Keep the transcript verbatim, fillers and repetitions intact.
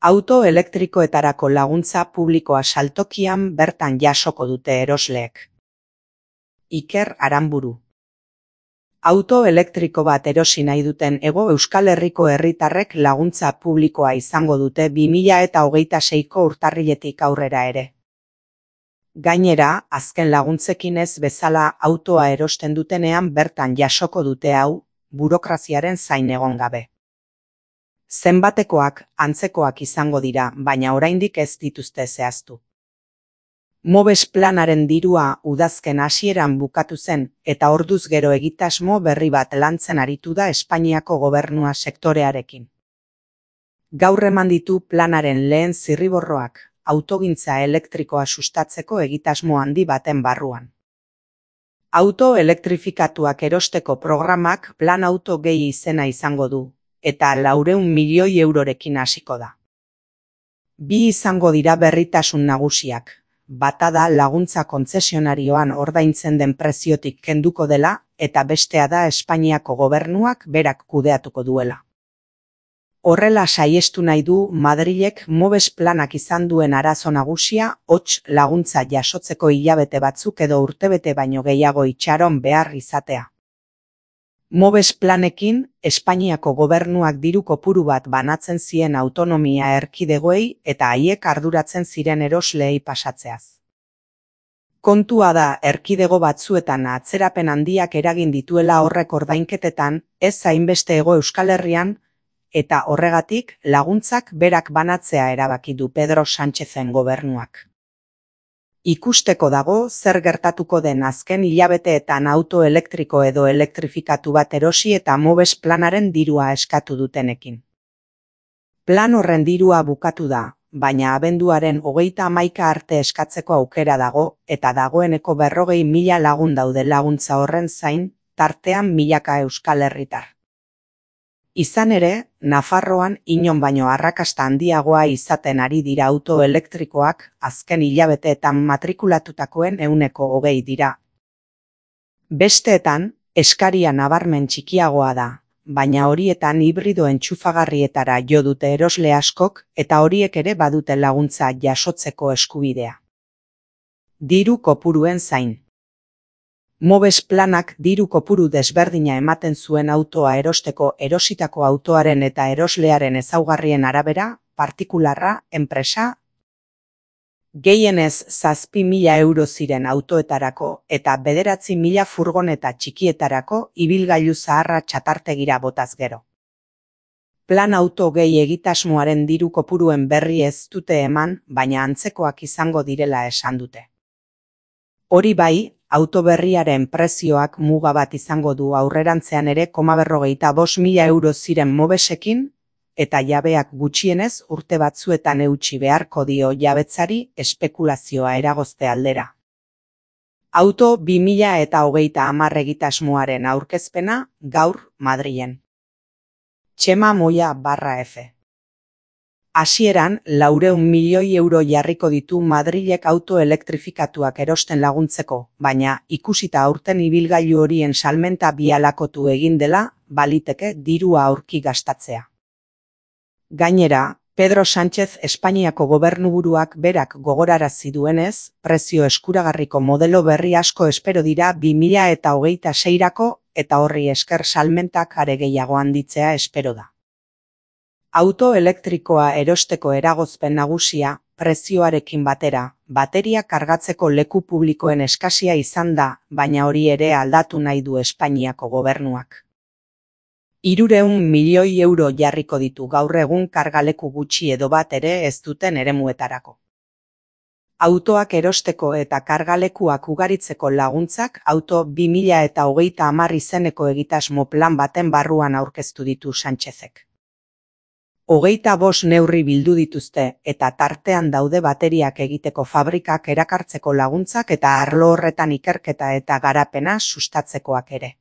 Auto elektrikoetarako laguntza publikoa saltokian bertan jasoko dute erosleek. Iker Aranburu. Auto elektriko bat erosi nahi duten Hego Euskal Herriko herritarrek laguntza publikoa izango dute bi mila hogeita seiko urtarriletik aurrera ere. Gainera, azken laguntzekin ez bezala autoa erosten dutenean bertan jasoko dute hau, burokraziaren zain egon gabe. Zenbatekoak, antzekoak izango dira, baina oraindik ez dituzte zehaztu. Mobes planaren dirua udazken hasieran bukatu zen, eta orduz gero egitasmo berri bat lantzen aritu da Espainiako gobernua sektorearekin. Gaur eman ditu planaren lehen zirriborroak, autogintza elektrikoa sustatzeko egitasmo handi baten barruan. Auto elektrifikatuak erosteko programak Plan Auto gehi izena izango du, eta laurehun milioi eurorekin hasiko da. Bi izango dira berritasun nagusiak. Bata da laguntza kontzesionarioan ordaintzen den preziotik kenduko dela, eta bestea da Espainiako gobernuak berak kudeatuko duela. Horrela saiestu nahi du Madrilek Mobes planak izan duen arazo nagusia, hots laguntza jasotzeko hilabete batzuk edo urtebete baino gehiago itxaron behar izatea. Mobes planekin, Espainiako gobernuak diru kopuru bat banatzen zien autonomia erkidegoei eta haiek arduratzen ziren erosleei pasatzeaz. Kontua da erkidego batzuetan atzerapen handiak eragin dituela horrek ordainketetan, ez hainbeste Hego Euskal Herrian, eta horregatik laguntzak berak banatzea erabaki du Pedro Sánchezen gobernuak. Ikusteko dago zer gertatuko den azken hilabeteetan auto elektriko edo elektrifikatu bat erosi eta Mobes planaren dirua eskatu dutenekin. Plan horren dirua bukatu da, baina abenduaren hogeita hamaika arte eskatzeko aukera dago eta dagoeneko berrogei mila lagun daude laguntza horren zain, tartean milaka Euskal Herritar. Izan ere, Nafarroan inon baino arrakasta handiagoa izaten ari dira auto elektrikoak, azken hilabeteetan matrikulatutakoen ehuneko hogei dira. Besteetan, eskaria nabarmen txikiagoa da, baina horietan hibrido entxufagarrietara jo dute erosle askok eta horiek ere badute laguntza jasotzeko eskubidea. Diru kopuruen zain. Mobes planak diru kopuru desberdina ematen zuen autoa erosteko erositako autoaren eta eroslearen ezaugarrien arabera, partikularra, enpresa, gehienez zazpi mila euro ziren autoetarako eta bederatzi mila furgoneta txikietarako ibilgailu zaharra txatartegira botaz gero. Plan Auto gehi egitasmoaren diru kopuruen berri ez dute eman, baina antzekoak izango direla esan dute. Hori bai, auto berriaren prezioak muga bat izango du aurrerantzean ere koma berrogeita bost mila euro ziren Mobesekin, eta jabeak gutxienez urte batzuetan eutsi beharko dio jabetzari espekulazioa eragozte aldera. Auto bi mila hogeita hamar egitasmoaren aurkezpena gaur Madrilen. Txema Moya barra F. Hasieran, laurehun milioi euro jarriko ditu Madrilek auto elektrifikatuak erosten laguntzeko, baina ikusita aurten ibilgailu horien salmenta bialakotu egin dela, baliteke dirua aurki gastatzea. Gainera, Pedro Sánchez Espainiako gobernuburuak berak gogorarazi duenez, prezio eskuragarriko modelo berri asko espero dira bi mila hogeita seirako eta horri esker salmentak are gehiago handitzea espero da. Auto elektrikoa erosteko eragozpen nagusia, prezioarekin batera, bateria kargatzeko leku publikoen eskasia izan da, baina hori ere aldatu nahi du Espainiako gobernuak. Hirurehun milioi euro jarriko ditu gaur egun kargaleku gutxi edo bat ere ez duten eremuetarako. Autoak erosteko eta kargalekuak ugaritzeko laguntzak auto bi mila hogeita hamar izeneko egitasmo plan baten barruan aurkeztu ditu Sánchezek. Hogeita bost neurri bildu dituzte eta tartean daude bateriak egiteko fabrikak erakartzeko laguntzak eta arlo horretan ikerketa eta garapena sustatzekoak ere.